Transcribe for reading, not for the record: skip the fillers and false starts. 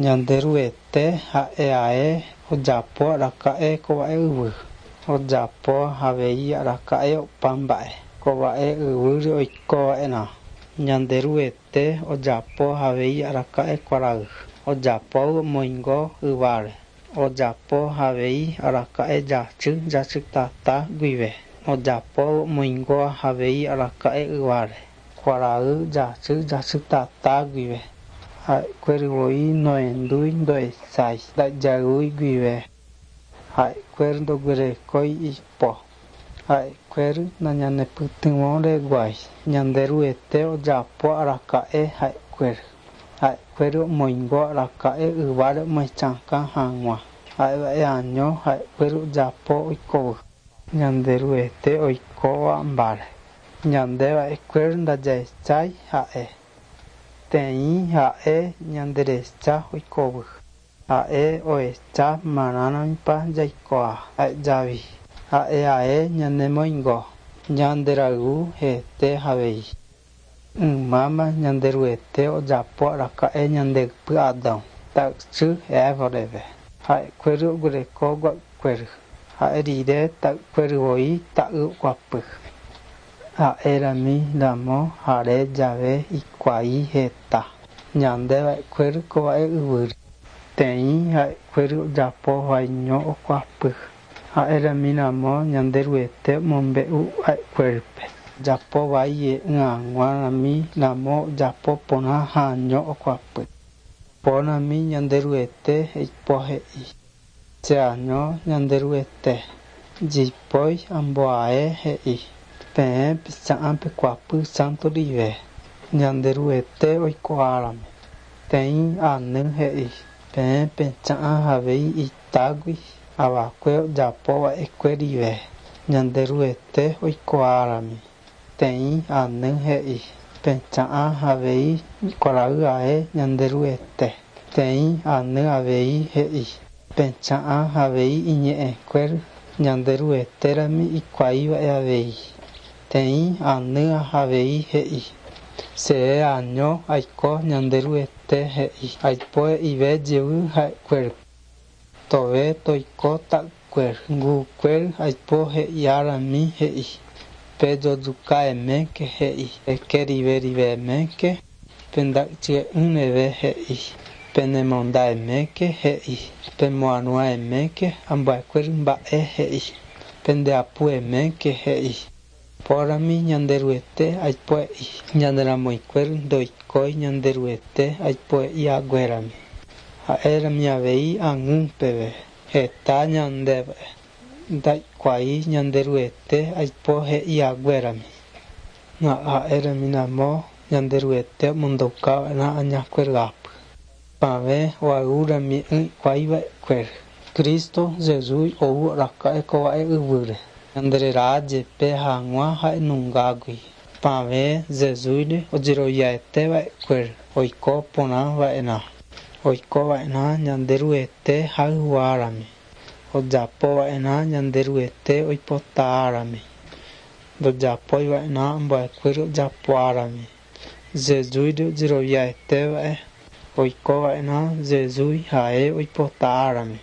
Ñanderuete ha'e ae ojapo araka'e ko mba'e yvy. Ojapo avei araka'e opa mba'e. Ko mba'e yvýre oikova'erã. Ñanderuete ojapo avei araka'e kuarahy. Ojapo omoingo yváre. Ojapo avei araka'e jasy jasytata guive. Ojapo omoingo avei araka'e yváre. Kuarahy jasy jasytata guive. Ha'ekuéra voi nohendúi ndohechái ndajayvýi guive. Ha'ekuéra ndoguerekói ipo. Ha'ekuéra nañanepytyvõreguái. Ñanderuete ojapo araka'e ha'ekuéra. Ha'ekuéra omoingo araka'e yváre omyesakã hag̃ua. Ha'eva'e año ha'ekuéra ojapo oikóvy. Ñanderuete oikóva mba'e. Ñandeva'ekuéra ndajahechái ha'e. Teĩ ha'e ñanderecha oikóvy. Ha'e ohecha marãrãpa jaikoha javi. Ha'e ae ñanemoingo. Ñanderayhu hete avei. Ymáma Ñanderuete ojapo araka'e ñande ypy Adán, ta'ysy Eva reve. Ha'ekuéra oguereko gua'ykuéra. Ha'e rire ta'ykuéra voi ta'y oguapy. Ha'érami ramo hare jave hikuái heta. Ñandeva'ekuéra ko mba'e yvýre. Teĩ ha'ekuéra ojapo ha'eño oguapy. Ha'érami ramo Ñanderuete omombe'u ha'ekuérape. Ojapo vai hag̃uarãmi ramo ojapo porã ha'eño oguapy. Porãmi Ñanderuete ipo he'i. Che año Ñanderuete. Jipói amboae he'i. Peẽ picha'ã pekuapy santo rive. Ñanderuete oikuaárami. Teĩ any he'i. Peẽ pecha'ã avei itágui avakue ojapova'ekue rive. Ñanderuete oikuaárami. Teĩ any he'i. Pecha'ã avei kuarahy ae Ñanderuete. Teĩ any avei he'i. Pecha'ã avei iñe'ẽkuéra Ñanderuetérami ikuaiva'e avei. Teĩ any avei he'i. Che año aiko Ñanderuete he'i. Aipo he'ive jey ha'ekuéra. Tove toiko ta'ykuéra. Ngukuéra aipo he'iárami he'i. Pejojukaeméke he'i. Pekeriverivẽméke penday'ỹreve he'i. Penemondaeméke he'i. Pemoaruãeméke ambuekuéra mba'e he'i. Pendeapueméke he'i. Porãmi Ñanderuete aipo he'i. Ñaneramoikuéra ndoikói Ñanderuete aipo he'i haguérami. Ha'érami avei ag̃úpeve. Heta ñandéve. Ndaikuaái Ñanderuete aipo he'i haguérami. Ha'érami ramo Ñanderuete omondoukava'erã añakuéra Pavẽ oayvúrami ikuaiva'ekuéra. Cristo Jesús ou araka'e ko mba'e yvýre. Ñandererajepe hag̃ua ha'enungágui. Pavẽ Jesúsre ojeroviaeteva'ekuéra oiko porãva'erã. Oikova'erã Ñanderuete hayhuárami. Ojapova'erã Ñanderuete oipotárami. Ndojapoiva'erã ambuekuéra ojapoárami. Jesúsre ojeroviaeteva'e oikova'erã Jesús ha'e oipotárami.